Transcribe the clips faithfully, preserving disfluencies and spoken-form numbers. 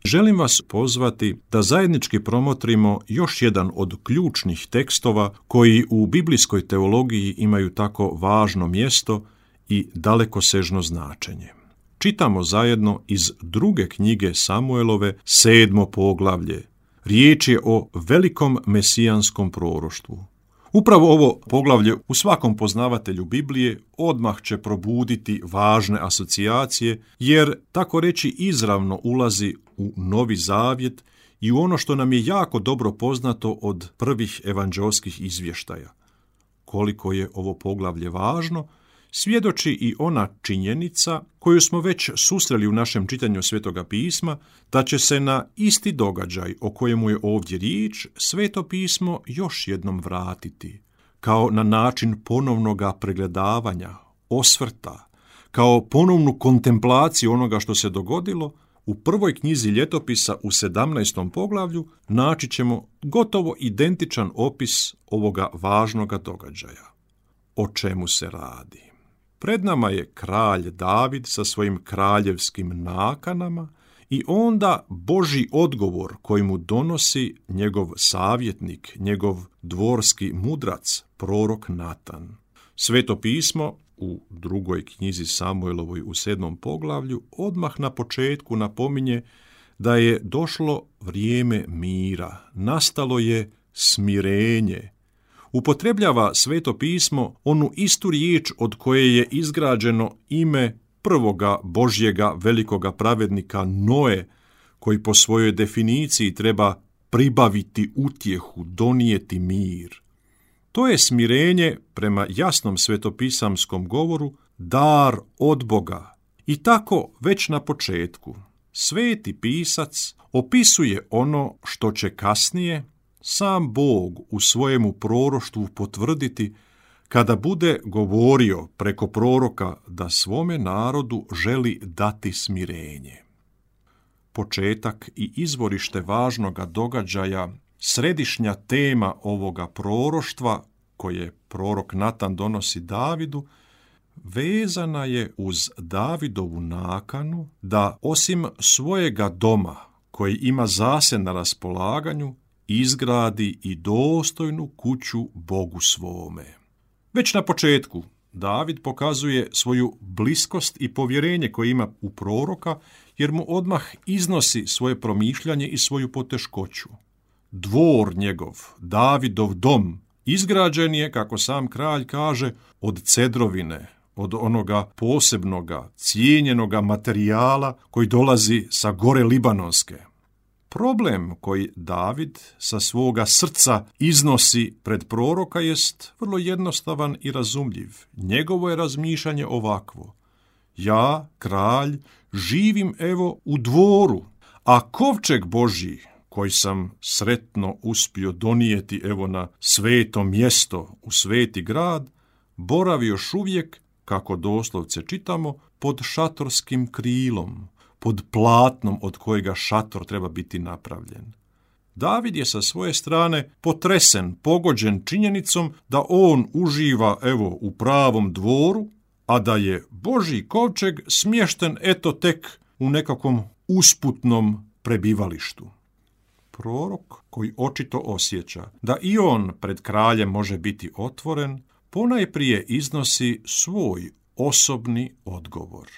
želim vas pozvati da zajednički promotrimo još jedan od ključnih tekstova koji u biblijskoj teologiji imaju tako važno mjesto i dalekosežno značenje. Čitamo zajedno iz druge knjige Samuelove, sedmo poglavlje. Riječ je o velikom mesijanskom proroštvu. Upravo ovo poglavlje u svakom poznavatelju Biblije odmah će probuditi važne asocijacije, jer tako reći izravno ulazi u Novi Zavjet i u ono što nam je jako dobro poznato od prvih evanđeoskih izvještaja. Koliko je ovo poglavlje važno, svjedoči i ona činjenica koju smo već susreli u našem čitanju Svetoga pisma, da će se na isti događaj o kojemu je ovdje riječ Sveto pismo još jednom vratiti, kao na način ponovnoga pregledavanja, osvrta, kao ponovnu kontemplaciju onoga što se dogodilo. U prvoj knjizi Ljetopisa u sedamnaestom poglavlju naći ćemo gotovo identičan opis ovoga važnoga događaja. O čemu se radi? Pred nama je kralj David sa svojim kraljevskim nakanama i onda Božji odgovor koji mu donosi njegov savjetnik, njegov dvorski mudrac, prorok Natan. Sveto pismo u drugoj knjizi Samuelovoj u sedmom poglavlju odmah na početku napominje da je došlo vrijeme mira, nastalo je smirenje. Upotrebljava Sveto pismo onu istu riječ od koje je izgrađeno ime prvoga Božjega velikoga pravednika Noe, koji po svojoj definiciji treba pribaviti utjehu, donijeti mir. To je smirenje, prema jasnom svetopisamskom govoru, dar od Boga. I tako već na početku Sveti pisac opisuje ono što će kasnije sam Bog u svojemu proroštvu potvrditi kada bude govorio preko proroka da svome narodu želi dati smirenje. Početak i izvorište važnoga događaja, središnja tema ovoga proroštva koje prorok Natan donosi Davidu, vezana je uz Davidovu nakanu da osim svojega doma koji ima zase na raspolaganju, izgradi i dostojnu kuću Bogu svome. Već na početku David pokazuje svoju bliskost i povjerenje koje ima u proroka, jer mu odmah iznosi svoje promišljanje i svoju poteškoću. Dvor njegov, Davidov dom, izgrađen je, kako sam kralj kaže, od cedrovine, od onoga posebnoga, cijenjenoga materijala koji dolazi sa gore Libanonske. Problem koji David sa svoga srca iznosi pred proroka jest vrlo jednostavan i razumljiv. Njegovo je razmišljanje ovakvo: ja, kralj, živim evo u dvoru, a kovčeg Božji, koji sam sretno uspio donijeti evo na sveto mjesto, u sveti grad, boravi još uvijek, kako doslovce čitamo, pod šatorskim krilom, pod platnom od kojega šator treba biti napravljen. David je sa svoje strane potresen, pogođen činjenicom da on uživa evo u pravom dvoru, a da je Božji kovčeg smješten eto tek u nekakvom usputnom prebivalištu. Prorok, koji očito osjeća da i on pred kraljem može biti otvoren, ponajprije iznosi svoj osobni odgovor.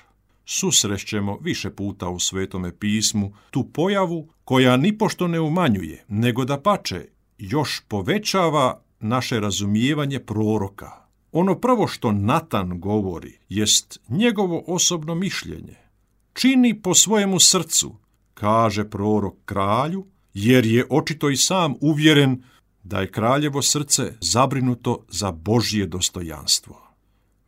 Susrećemo više puta u Svetome pismu tu pojavu koja nipošto ne umanjuje, nego dapače još povećava naše razumijevanje proroka. Ono prvo što Natan govori jest njegovo osobno mišljenje. Čini po svojemu srcu, kaže prorok kralju, jer je očito i sam uvjeren da je kraljevo srce zabrinuto za Božje dostojanstvo.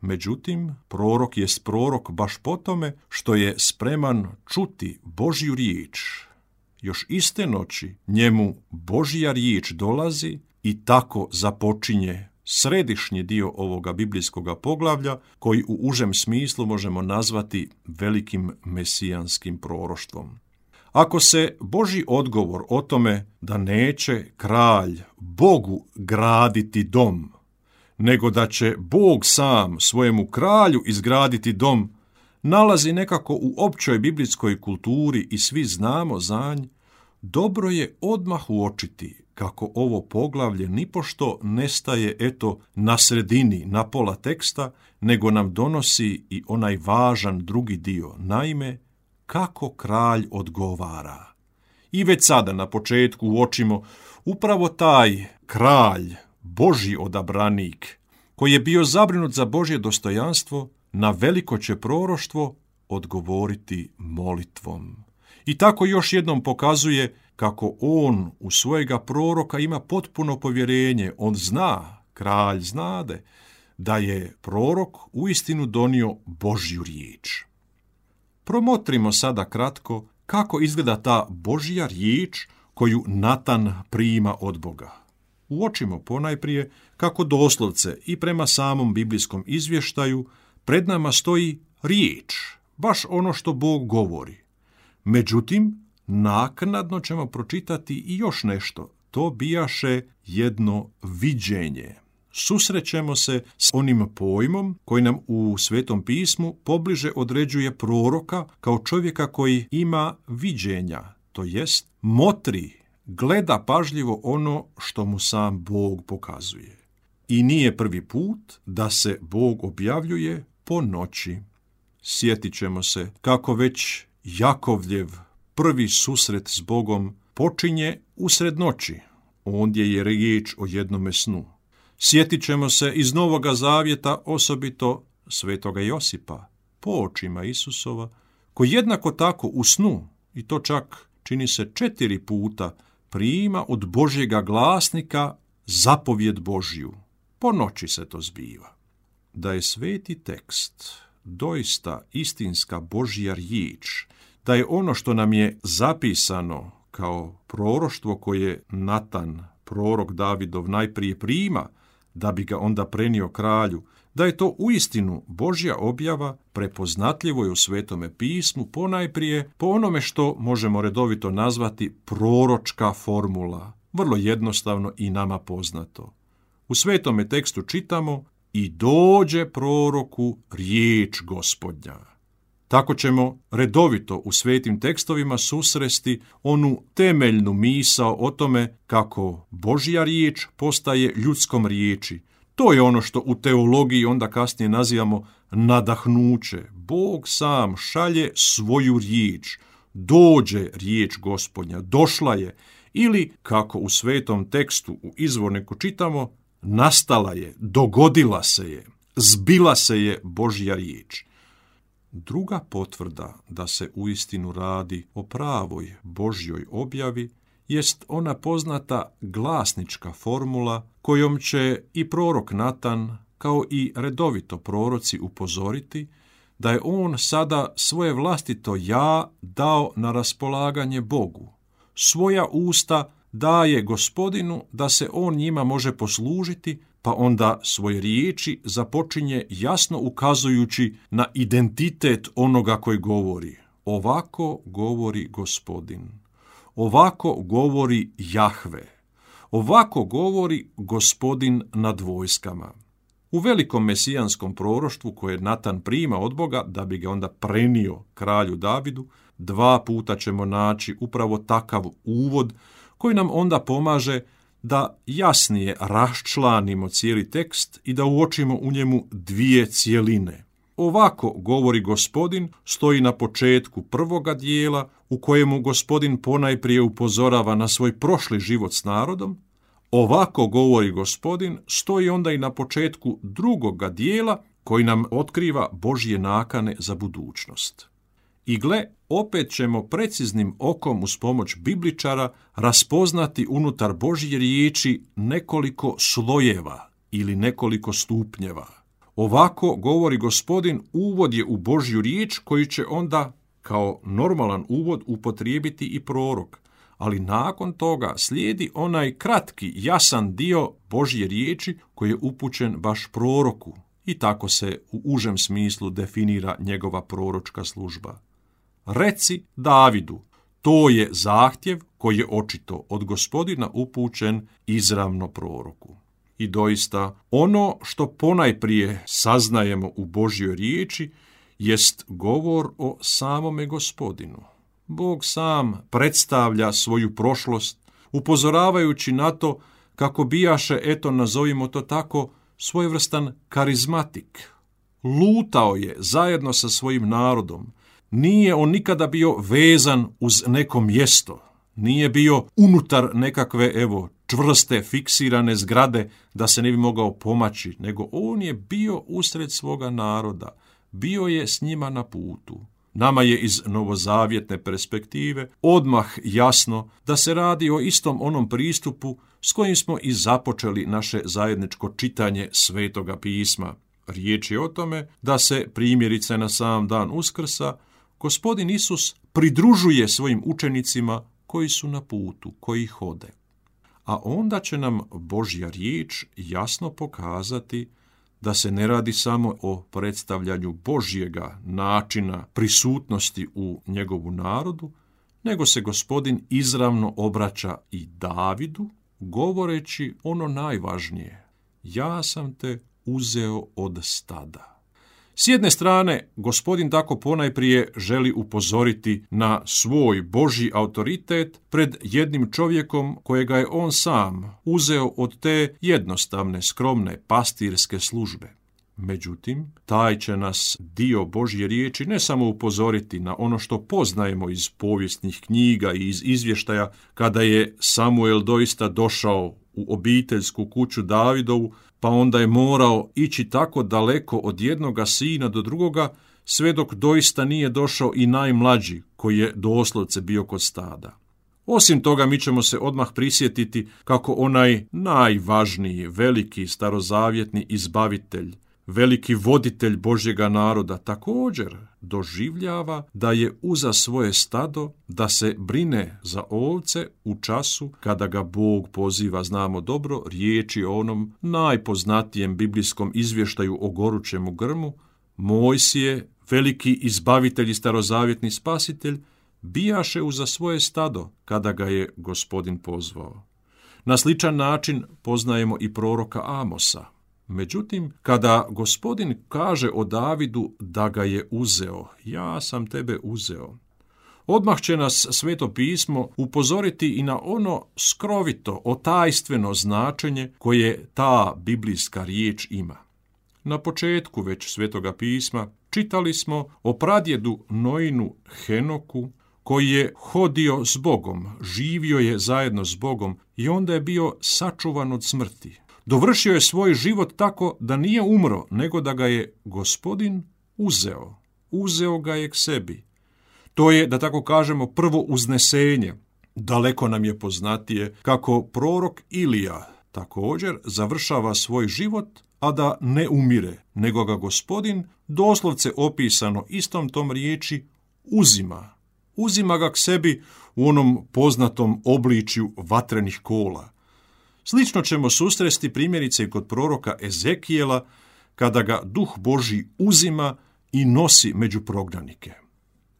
Međutim, prorok jest prorok baš po tome što je spreman čuti Božju riječ. Još iste noći njemu Božja riječ dolazi i tako započinje središnji dio ovoga biblijskoga poglavlja, koji u užem smislu možemo nazvati velikim mesijanskim proroštvom. Ako se Božji odgovor o tome da neće kralj Bogu graditi dom, nego da će Bog sam svojemu kralju izgraditi dom, nalazi nekako u općoj biblijskoj kulturi i svi znamo za nj, dobro je odmah uočiti kako ovo poglavlje nipošto ne staje eto na sredini, na pola teksta, nego nam donosi i onaj važan drugi dio, naime, kako kralj odgovara. I već sada na početku uočimo upravo taj kralj, Božji odabranik, koji je bio zabrinut za Božje dostojanstvo, na veliko će proroštvo odgovoriti molitvom. I tako još jednom pokazuje kako on u svojega proroka ima potpuno povjerenje. On zna, kralj znade, da je prorok uistinu donio Božju riječ. Promotrimo sada kratko kako izgleda ta Božja riječ koju Natan prima od Boga. Uočimo ponajprije kako doslovce i prema samom biblijskom izvještaju pred nama stoji riječ, baš ono što Bog govori. Međutim, naknadno ćemo pročitati i još nešto. To bijaše jedno viđenje. Susrećemo se s onim pojmom koji nam u Svetom pismu pobliže određuje proroka kao čovjeka koji ima viđenja, to jest motri, gleda pažljivo ono što mu sam Bog pokazuje. I nije prvi put da se Bog objavljuje po noći. Sjetit ćemo se kako već Jakovljev prvi susret s Bogom počinje usred noći. Ondje je riječ o jednome snu. Sjetit ćemo se iz Novoga Zavjeta osobito svetoga Josipa, po očima Isusova, koji jednako tako u snu, i to čak čini se četiri puta, prima od Božjega glasnika zapovjed Božju. Po noći se to zbiva. Da je sveti tekst doista istinska Božja riječ, da je ono što nam je zapisano kao proroštvo koje Natan, prorok Davidov, najprije prima, da bi ga onda prenio kralju, da je to uistinu Božja objava, prepoznatljivo je u Svetome pismu, ponajprije po onome što možemo redovito nazvati proročka formula, vrlo jednostavno i nama poznato. U Svetome tekstu čitamo: i dođe proroku riječ Gospodnja. Tako ćemo redovito u svetim tekstovima susresti onu temeljnu misao o tome kako Božja riječ postaje ljudskom riječi. To je ono što u teologiji onda kasnije nazivamo nadahnuće. Bog sam šalje svoju riječ. Dođe riječ Gospodnja, došla je. Ili, kako u svetom tekstu u izvorniku čitamo, nastala je, dogodila se je, zbila se je Božja riječ. Druga potvrda da se uistinu radi o pravoj Božjoj objavi jest ona poznata glasnička formula kojom će i prorok Natan, kao i redovito proroci, upozoriti da je on sada svoje vlastito ja dao na raspolaganje Bogu. Svoja usta daje Gospodinu da se on njima može poslužiti, pa onda svoje riječi započinje jasno ukazujući na identitet onoga koji govori. Ovako govori Gospodin. Ovako govori Jahve. Ovako govori Gospodin nad vojskama. U velikom mesijanskom proroštvu koje Natan prima od Boga da bi ga onda prenio kralju Davidu, dva puta ćemo naći upravo takav uvod koji nam onda pomaže da jasnije raščlanimo cijeli tekst i da uočimo u njemu dvije cjeline. Ovako govori Gospodin stoji na početku prvoga dijela u kojemu Gospodin ponajprije upozorava na svoj prošli život s narodom. Ovako govori Gospodin stoji onda i na početku drugoga dijela koji nam otkriva Božje nakane za budućnost. I gle, opet ćemo preciznim okom uz pomoć bibličara raspoznati unutar Božje riječi nekoliko slojeva ili nekoliko stupnjeva. Ovako govori Gospodin, uvod je u Božju riječ koji će onda kao normalan uvod upotrijebiti i prorok. Ali nakon toga slijedi onaj kratki, jasan dio Božje riječi koji je upućen baš proroku. I tako se u užem smislu definira njegova proročka služba. Reci Davidu, to je zahtjev koji je očito od Gospodina upućen izravno proroku. I doista, ono što ponajprije saznajemo u Božjoj riječi jest govor o samome Gospodinu. Bog sam predstavlja svoju prošlost, upozoravajući na to kako bijaše, eto nazovimo to tako, svojevrstan karizmatik. Lutao je zajedno sa svojim narodom. Nije on nikada bio vezan uz neko mjesto. Nije bio unutar nekakve, evo, čvrste, fiksirane zgrade da se ne bi mogao pomaći, nego on je bio usred svoga naroda. Bio je s njima na putu. Nama je iz novozavjetne perspektive odmah jasno da se radi o istom onom pristupu s kojim smo i započeli naše zajedničko čitanje Svetoga pisma. Riječ je o tome da se primjerice na sam dan Uskrsa Gospodin Isus pridružuje svojim učenicima koji su na putu, koji hode. A onda će nam Božja riječ jasno pokazati da se ne radi samo o predstavljanju Božjega načina prisutnosti u njegovu narodu, nego se Gospodin izravno obraća i Davidu, govoreći ono najvažnije: ja sam te uzeo od stada. S jedne strane, Gospodin tako ponajprije želi upozoriti na svoj Božji autoritet pred jednim čovjekom kojega je on sam uzeo od te jednostavne, skromne pastirske službe. Međutim, taj će nas dio Božje riječi ne samo upozoriti na ono što poznajemo iz povijesnih knjiga i iz izvještaja kada je Samuel doista došao u obiteljsku kuću Davidovu, pa onda je morao ići tako daleko od jednoga sina do drugoga, sve dok doista nije došao i najmlađi, koji je doslovce bio kod stada. Osim toga, mi ćemo se odmah prisjetiti kako onaj najvažniji, veliki starozavjetni izbavitelj, veliki voditelj Božjega naroda također doživljava da je uza svoje stado, da se brine za ovce u času kada ga Bog poziva. Znamo dobro riječi o onom najpoznatijem biblijskom izvještaju o gorućemu grmu. Mojsije, veliki izbavitelj i starozavjetni spasitelj, bijaše uza svoje stado kada ga je Gospodin pozvao. Na sličan način poznajemo i proroka Amosa. Međutim, kada Gospodin kaže o Davidu da ga je uzeo, ja sam tebe uzeo, odmah će nas Sveto pismo upozoriti i na ono skrovito, otajstveno značenje koje ta biblijska riječ ima. Na početku već Svetoga pisma čitali smo o pradjedu Noinu Henoku, koji je hodio s Bogom, živio je zajedno s Bogom i onda je bio sačuvan od smrti. Dovršio je svoj život tako da nije umro, nego da ga je Gospodin uzeo. Uzeo ga je k sebi. To je, da tako kažemo, prvo uznesenje. Daleko nam je poznatije kako prorok Ilija također završava svoj život, a da ne umire, nego ga Gospodin, doslovce opisano istom tom riječi, uzima. Uzima ga k sebi u onom poznatom obličju vatrenih kola. Slično ćemo susresti primjerice i kod proroka Ezekijela, kada ga Duh Božji uzima i nosi među prognanike.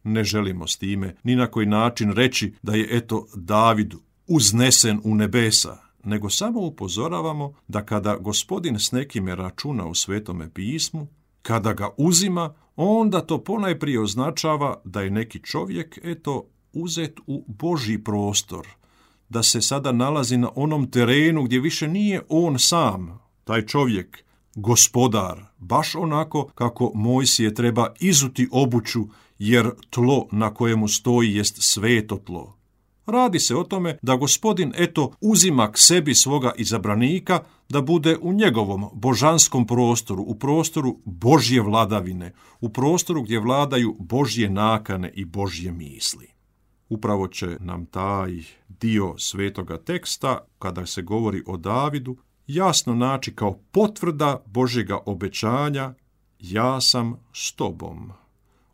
Ne želimo s time ni na koji način reći da je eto David uznesen u nebesa, nego samo upozoravamo da kada Gospodin s nekime računa u Svetome pismu, kada ga uzima, onda to ponajprije označava da je neki čovjek eto uzet u Božji prostor, da se sada nalazi na onom terenu gdje više nije on sam, taj čovjek, gospodar, baš onako kako Mojsije treba izuti obuću, jer tlo na kojemu stoji jest sveto tlo. Radi se o tome da Gospodin eto uzima k sebi svoga izabranika da bude u njegovom božanskom prostoru, u prostoru Božje vladavine, u prostoru gdje vladaju Božje nakane i Božje misli. Upravo će nam taj dio svetoga teksta, kada se govori o Davidu, jasno naći kao potvrda Božjega obećanja: ja sam s tobom.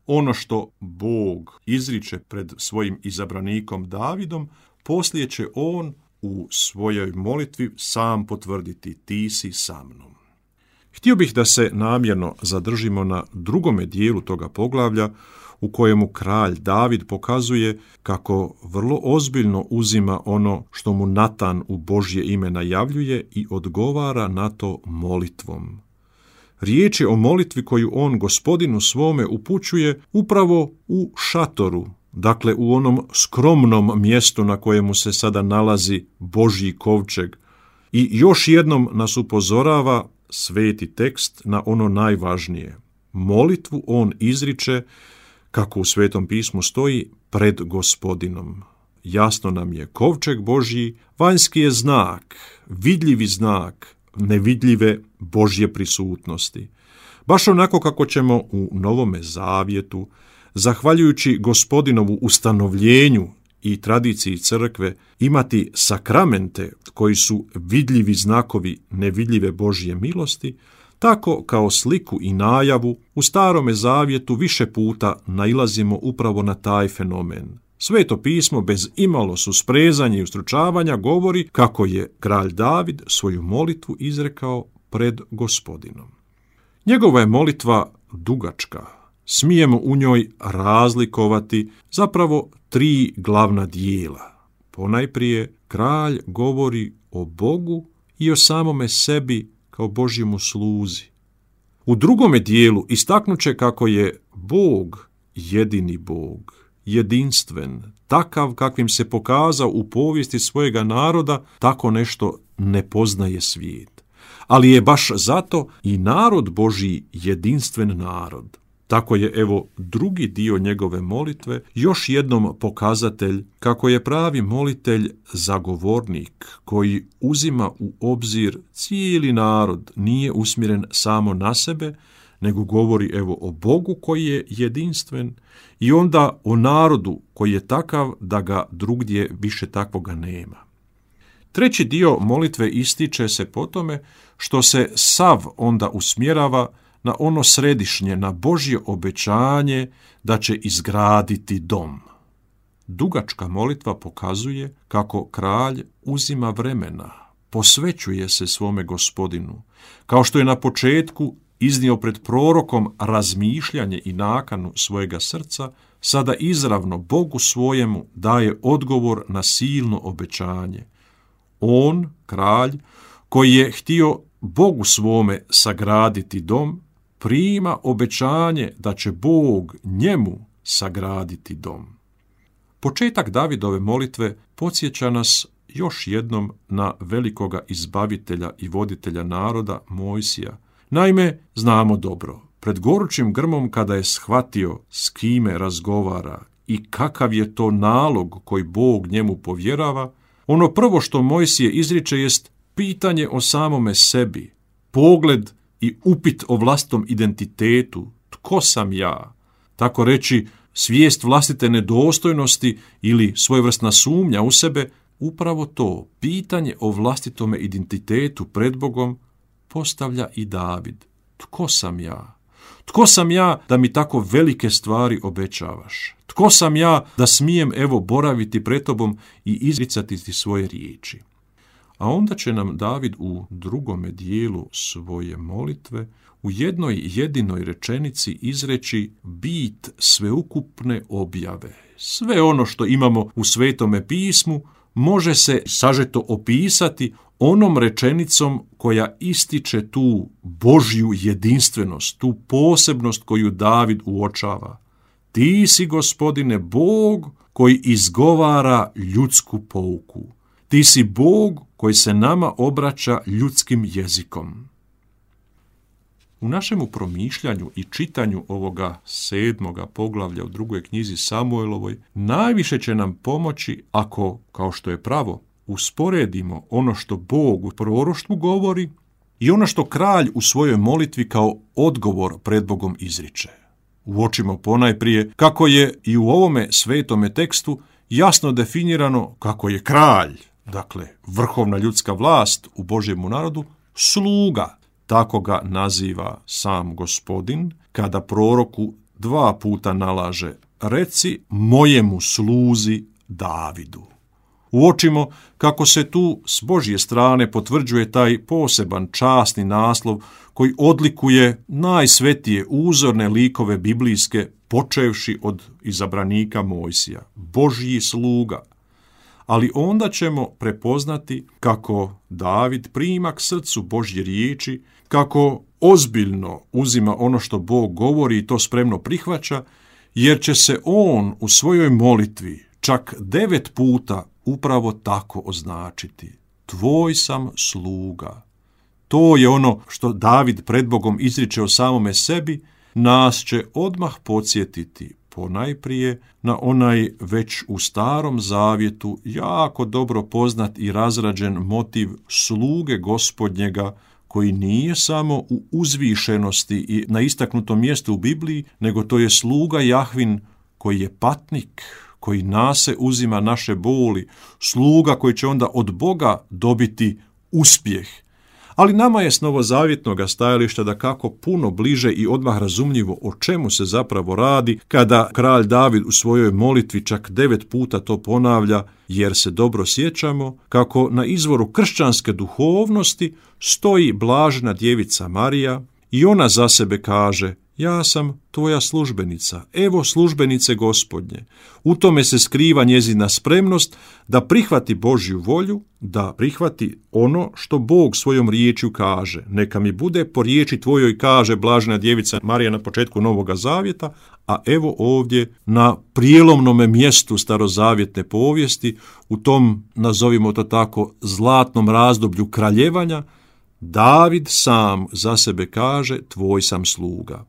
Ono što Bog izriče pred svojim izabranikom Davidom, poslije će on u svojoj molitvi sam potvrditi: ti si sa mnom. Htio bih da se namjerno zadržimo na drugome dijelu toga poglavlja, u kojemu kralj David pokazuje kako vrlo ozbiljno uzima ono što mu Natan u Božje ime najavljuje i odgovara na to molitvom. Riječ je o molitvi koju on Gospodinu svome upućuje upravo u šatoru, dakle u onom skromnom mjestu na kojemu se sada nalazi Božji kovčeg. I još jednom nas upozorava sveti tekst na ono najvažnije. Molitvu on izriče, kako u Svetom pismu stoji, pred Gospodinom. Jasno nam je, kovčeg Božji vanjski je znak, vidljivi znak nevidljive Božje prisutnosti. Baš onako kako ćemo u Novome Zavjetu, zahvaljujući Gospodinovu ustanovljenju i tradiciji crkve, imati sakramente koji su vidljivi znakovi nevidljive Božje milosti, tako kao sliku i najavu u Starome Zavjetu više puta nailazimo upravo na taj fenomen. Sveto pismo bez imalo susprezanja i ustručavanja govori kako je kralj David svoju molitvu izrekao pred Gospodinom. Njegova je molitva dugačka. Smijemo u njoj razlikovati zapravo tri glavna dijela. Ponajprije, kralj govori o Bogu i o samome sebi kao Božjemu sluzi. U drugome dijelu istaknuće kako je Bog jedini Bog, jedinstven, takav kakvim se pokazao u povijesti svojega naroda, tako nešto ne poznaje svijet. Ali je baš zato i narod Božji jedinstven narod. Tako je, evo, drugi dio njegove molitve još jednom pokazatelj kako je pravi molitelj zagovornik koji uzima u obzir cijeli narod, nije usmjeren samo na sebe, nego govori evo o Bogu koji je jedinstven i onda o narodu koji je takav da ga drugdje više takvoga nema. Treći dio molitve ističe se po tome što se sav onda usmjerava na ono središnje, na Božje obećanje da će izgraditi dom. Dugačka molitva pokazuje kako kralj uzima vremena, posvećuje se svome Gospodinu, kao što je na početku iznio pred prorokom razmišljanje i nakanu svojega srca, sada izravno Bogu svojemu daje odgovor na silno obećanje. On, kralj, koji je htio Bogu svome sagraditi dom, prima obećanje da će Bog njemu sagraditi dom. Početak Davidove molitve podsjeća nas još jednom na velikoga izbavitelja i voditelja naroda Mojsija. Naime, znamo dobro, pred gorućim grmom kada je shvatio s kime razgovara i kakav je to nalog koji Bog njemu povjerava, ono prvo što Mojsije izriče jest pitanje o samome sebi, pogled i upit o vlastitom identitetu, tko sam ja, tako reći svijest vlastite nedostojnosti ili svojevrsna sumnja u sebe, upravo to pitanje o vlastitome identitetu pred Bogom postavlja i David. Tko sam ja? Tko sam ja da mi tako velike stvari obećavaš? Tko sam ja da smijem evo boraviti pred tobom i izricati ti svoje riječi? A onda će nam David u drugome dijelu svoje molitve u jednoj jedinoj rečenici izreći bit sveukupne objave. Sve ono što imamo u Svetome pismu može se sažeto opisati onom rečenicom koja ističe tu Božju jedinstvenost, tu posebnost koju David uočava. Ti si, Gospodine, Bog koji izgovara ljudsku pouku. Ti si Bog koji se nama obraća ljudskim jezikom. U našemu promišljanju i čitanju ovoga sedmoga poglavlja u drugoj knjizi Samuelovoj najviše će nam pomoći ako, kao što je pravo, usporedimo ono što Bog u proroštvu govori i ono što kralj u svojoj molitvi kao odgovor pred Bogom izriče. Uočimo ponajprije kako je i u ovome svetome tekstu jasno definirano kako je kralj, dakle vrhovna ljudska vlast u Božjemu narodu, sluga. Tako ga naziva sam Gospodin kada proroku dva puta nalaže reci mojemu sluzi Davidu. Uočimo kako se tu s Božje strane potvrđuje taj poseban časni naslov koji odlikuje najsvetije uzorne likove biblijske počevši od izabranika Mojsija, Božji sluga. Ali onda ćemo prepoznati kako David prima k srcu Božje riječi, kako ozbiljno uzima ono što Bog govori i to spremno prihvaća, jer će se on u svojoj molitvi čak devet puta upravo tako označiti. Tvoj sam sluga. To je ono što David pred Bogom izriče o samome sebi, nas će odmah podsjetiti ponajprije na onaj već u Starom Zavjetu jako dobro poznat i razrađen motiv sluge Gospodnjega, koji nije samo u uzvišenosti i na istaknutom mjestu u Bibliji, nego to je sluga Jahvin koji je patnik, koji nase uzima naše boli, sluga koji će onda od Boga dobiti uspjeh. Ali nama je s novozavjetnog stajališta da kako puno bliže i odmah razumljivo o čemu se zapravo radi kada kralj David u svojoj molitvi čak devet puta to ponavlja, jer se dobro sjećamo kako na izvoru kršćanske duhovnosti stoji blažena djevica Marija i ona za sebe kaže: ja sam tvoja službenica, evo službenice Gospodnje. U tome se skriva njezina spremnost da prihvati Božju volju, da prihvati ono što Bog svojom riječju kaže. Neka mi bude po riječi tvojoj, kaže blažena djevica Marija na početku Novoga Zavjeta, a evo ovdje na prijelomnome mjestu starozavjetne povijesti, u tom, nazovimo to tako, zlatnom razdoblju kraljevanja, David sam za sebe kaže: tvoj sam sluga.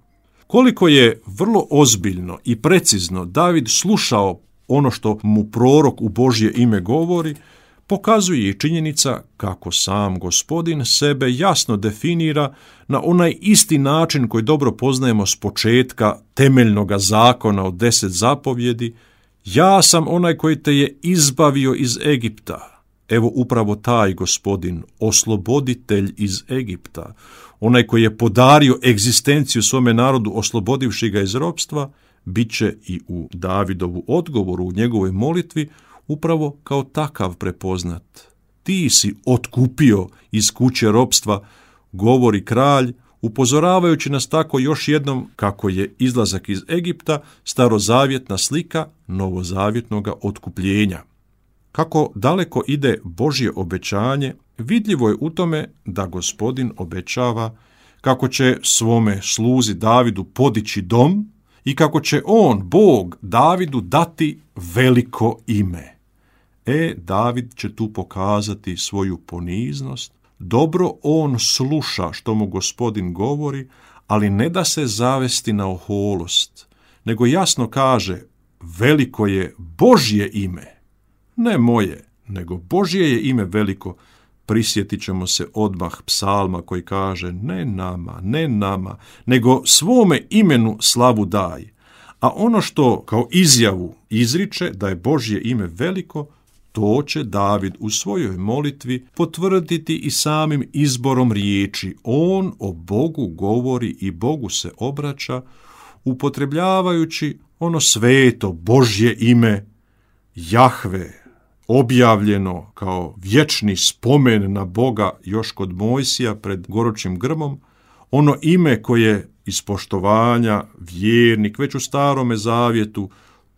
Koliko je vrlo ozbiljno i precizno David slušao ono što mu prorok u Božje ime govori, pokazuje i činjenica kako sam Gospodin sebe jasno definira na onaj isti način koji dobro poznajemo s početka temeljnoga zakona od deset zapovjedi: ja sam onaj koji te je izbavio iz Egipta. Evo upravo taj Gospodin, osloboditelj iz Egipta, onaj koji je podario egzistenciju svome narodu oslobodivši ga iz ropstva, bit će i u Davidovu odgovoru, u njegovoj molitvi, upravo kao takav prepoznat. Ti si otkupio iz kuće ropstva, govori kralj, upozoravajući nas tako još jednom kako je izlazak iz Egipta starozavjetna slika novozavjetnoga otkupljenja. Kako daleko ide Božje obećanje, vidljivo je u tome da Gospodin obećava kako će svome sluzi Davidu podići dom i kako će on, Bog, Davidu dati veliko ime. E, David će tu pokazati svoju poniznost. Dobro on sluša što mu Gospodin govori, ali ne da se zavesti na oholost, nego jasno kaže: veliko je Božje ime. Ne moje, nego Božje je ime veliko. Prisjetit ćemo se odmah psalma koji kaže: ne nama, ne nama, nego svome imenu slavu daj. A ono što kao izjavu izriče da je Božje ime veliko, to će David u svojoj molitvi potvrditi i samim izborom riječi. On o Bogu govori i Bogu se obraća, upotrebljavajući ono sveto Božje ime Jahve, objavljeno kao vječni spomen na Boga još kod Mojsija pred gorućim grmom, ono ime koje iz poštovanja vjernik već u Starome Zavjetu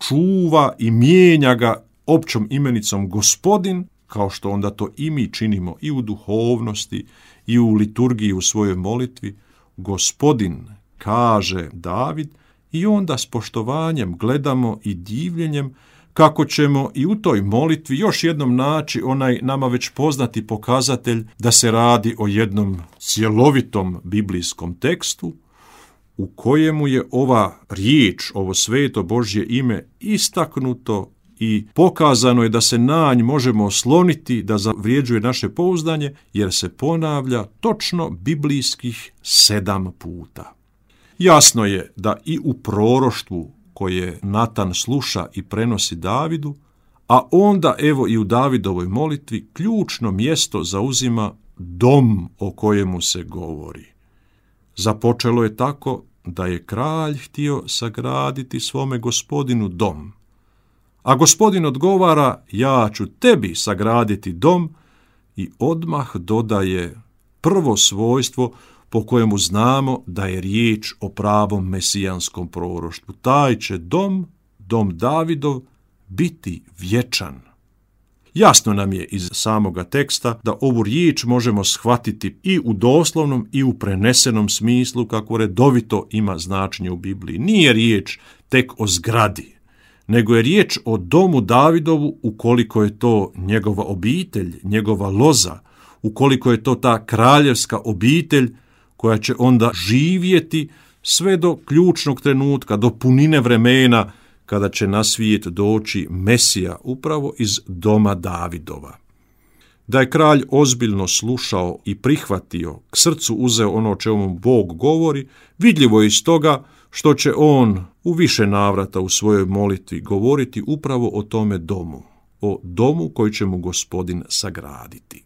čuva i mijenja ga općom imenicom Gospodin, kao što onda to i mi činimo i u duhovnosti i u liturgiji u svojoj molitvi. Gospodin, kaže David, i onda s poštovanjem gledamo i divljenjem kako ćemo i u toj molitvi još jednom naći onaj nama već poznati pokazatelj da se radi o jednom cjelovitom biblijskom tekstu u kojemu je ova riječ, ovo sveto Božje ime istaknuto i pokazano je da se na nj možemo osloniti, da zavrijeđuje naše pouzdanje, jer se ponavlja točno biblijskih sedam puta. Jasno je da i u proroštvu koje Natan sluša i prenosi Davidu, a onda evo i u Davidovoj molitvi ključno mjesto zauzima dom o kojemu se govori. Započelo je tako da je kralj htio sagraditi svome Gospodinu dom, a Gospodin odgovara: ja ću tebi sagraditi dom, i odmah dodaje prvo svojstvo po kojemu znamo da je riječ o pravom mesijanskom proroštvu. Taj će dom, dom Davidov, biti vječan. Jasno nam je iz samoga teksta da ovu riječ možemo shvatiti i u doslovnom i u prenesenom smislu kako redovito ima značenje u Bibliji. Nije riječ tek o zgradi, nego je riječ o domu Davidovu ukoliko je to njegova obitelj, njegova loza, ukoliko je to ta kraljevska obitelj koja će onda živjeti sve do ključnog trenutka, do punine vremena kada će na svijet doći Mesija upravo iz doma Davidova. Da je kralj ozbiljno slušao i prihvatio, k srcu uzeo ono o čemu Bog govori, vidljivo je iz toga što će on u više navrata u svojoj molitvi govoriti upravo o tome domu, o domu koji će mu Gospodin sagraditi.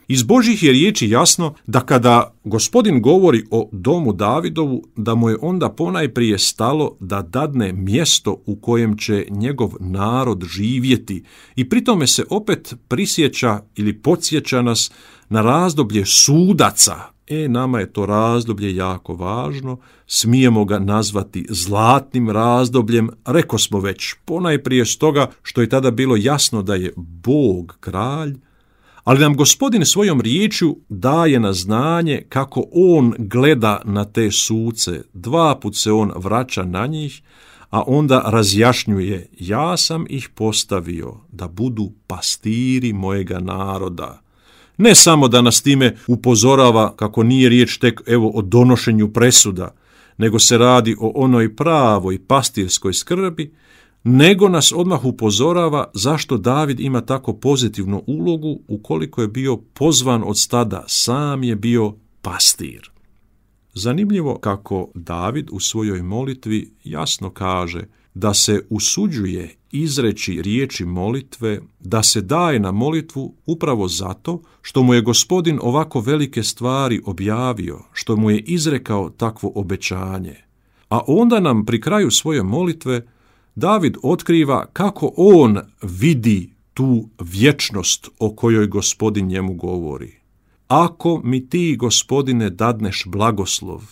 Iz Božjih je riječi jasno da kada Gospodin govori o domu Davidovu, da mu je onda ponajprije stalo da dadne mjesto u kojem će njegov narod živjeti i pri tome se opet prisjeća ili podsjeća nas na razdoblje sudaca. E, nama je to razdoblje jako važno, smijemo ga nazvati zlatnim razdobljem, reko smo već, ponajprije stoga što je tada bilo jasno da je Bog kralj, ali nam Gospodin svojom riječju daje na znanje kako on gleda na te suce. Dva put se on vraća na njih, a onda razjašnjuje: ja sam ih postavio da budu pastiri mojega naroda. Ne samo da nas time upozorava kako nije riječ tek evo o donošenju presuda, nego se radi o onoj pravoj pastirskoj skrbi, nego nas odmah upozorava zašto David ima tako pozitivnu ulogu ukoliko je bio pozvan od stada, sam je bio pastir. Zanimljivo kako David u svojoj molitvi jasno kaže da se usuđuje izreći riječi molitve, da se daje na molitvu upravo zato što mu je Gospodin ovako velike stvari objavio, što mu je izrekao takvo obećanje. A onda nam pri kraju svoje molitve David otkriva kako on vidi tu vječnost o kojoj Gospodin njemu govori. Ako mi ti, Gospodine, dadneš blagoslov,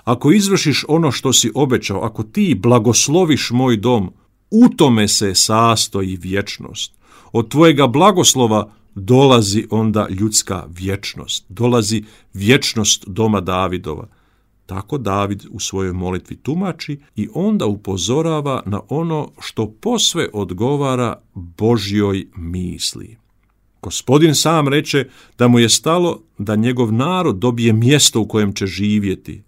ako izvršiš ono što si obećao, ako ti blagosloviš moj dom, u tome se sastoji vječnost. Od tvojega blagoslova dolazi onda ljudska vječnost, dolazi vječnost doma Davidova. Tako David u svojoj molitvi tumači i onda upozorava na ono što posve odgovara Božjoj misli. Gospodin sam reče da mu je stalo da njegov narod dobije mjesto u kojem će živjeti.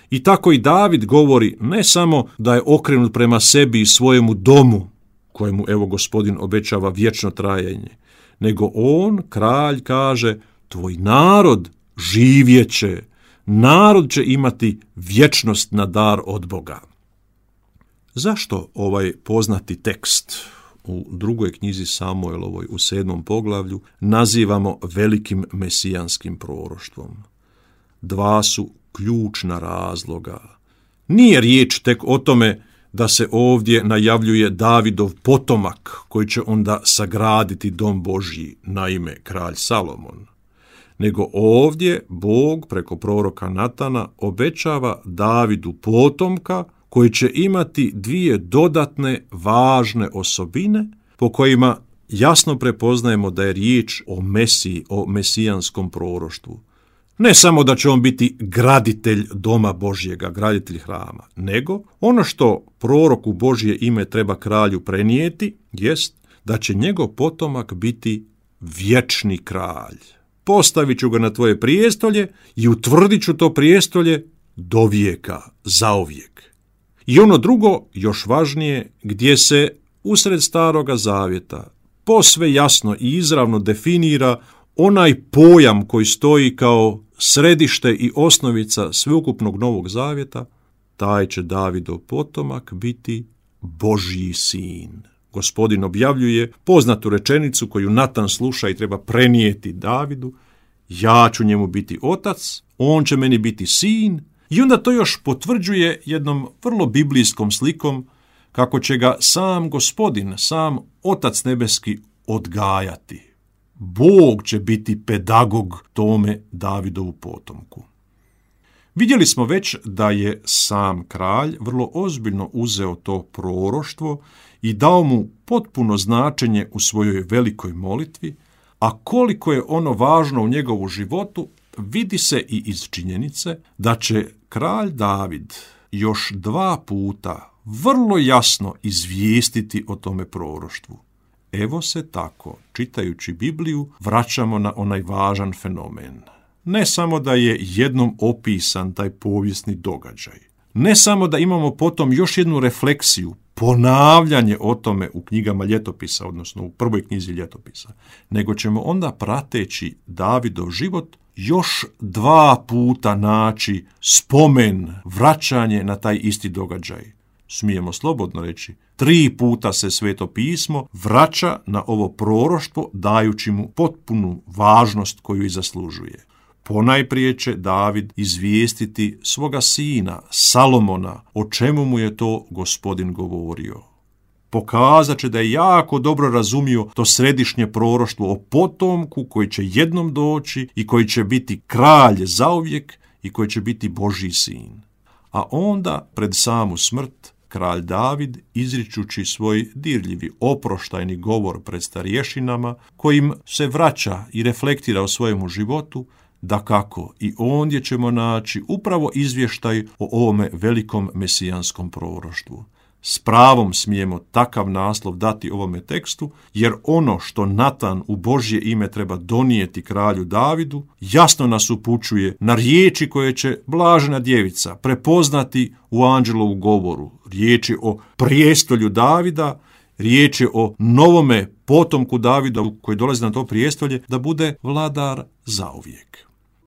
I tako i David govori ne samo da je okrenut prema sebi i svojemu domu, kojemu evo Gospodin obećava vječno trajanje, nego on, kralj, kaže: tvoj narod živjeće, narod će imati vječnost na dar od Boga. Zašto ovaj poznati tekst u drugoj knjizi Samuelovoj u sedmom poglavlju nazivamo velikim mesijanskim proroštvom? Dva su ključna razloga. Nije riječ tek o tome da se ovdje najavljuje Davidov potomak koji će onda sagraditi dom Božji, naime kralj Salomon, nego ovdje Bog preko proroka Natana obećava Davidu potomka koji će imati dvije dodatne važne osobine po kojima jasno prepoznajemo da je riječ o Mesiji, o mesijanskom proroštvu. Ne samo da će on biti graditelj doma Božjega, graditelj hrama, nego ono što proroku Božje ime treba kralju prenijeti jest da će njegov potomak biti vječni kralj. Postavit ću ga na tvoje prijestolje i utvrdit ću to prijestolje do vijeka, zauvijek. I ono drugo, još važnije, gdje se usred Staroga Zavjeta posve jasno i izravno definira onaj pojam koji stoji kao središte i osnovica sveukupnog Novog Zavjeta, taj će Davidov potomak biti Božji sin. Gospodin objavljuje poznatu rečenicu koju Natan sluša i treba prenijeti Davidu: ja ću njemu biti otac, on će meni biti sin. I onda to još potvrđuje jednom vrlo biblijskom slikom kako će ga sam Gospodin, sam Otac nebeski odgajati. Bog će biti pedagog tome Davidovu potomku. Vidjeli smo već da je sam kralj vrlo ozbiljno uzeo to proroštvo i dao mu potpuno značenje u svojoj velikoj molitvi, a koliko je ono važno u njegovu životu vidi se i iz činjenice da će kralj David još dva puta vrlo jasno izvijestiti o tome proroštvu. Evo se tako, čitajući Bibliju, vraćamo na onaj važan fenomen. Ne samo da je jednom opisan taj povijesni događaj, ne samo da imamo potom još jednu refleksiju, ponavljanje o tome u knjigama ljetopisa, odnosno u prvoj knjizi ljetopisa, nego ćemo onda prateći Davidov život još dva puta naći spomen, vraćanje na taj isti događaj. Smijemo slobodno reći, tri puta se Sveto pismo vraća na ovo proroštvo dajući mu potpunu važnost koju i zaslužuje. Ponajprije će David izvijestiti svoga sina Salomona o čemu mu je to Gospodin govorio. Pokazat će da je jako dobro razumio to središnje proroštvo o potomku koji će jednom doći i koji će biti kralj zauvijek i koji će biti Božji sin. A onda, pred samu smrt, kralj David, izričući svoj dirljivi oproštajni govor pred starješinama, kojim se vraća i reflektira o svojemu životu, dakako i ondje ćemo naći upravo izvještaj o ovome velikom mesijanskom proroštvu. S pravom smijemo takav naslov dati ovome tekstu, jer ono što Natan u Božje ime treba donijeti kralju Davidu, jasno nas upućuje na riječi koje će blažena djevica prepoznati u anđelovu govoru. Riječi o prijestolju Davida, riječi o novome potomku Davida koji dolazi na to prijestolje, da bude vladar zauvijek.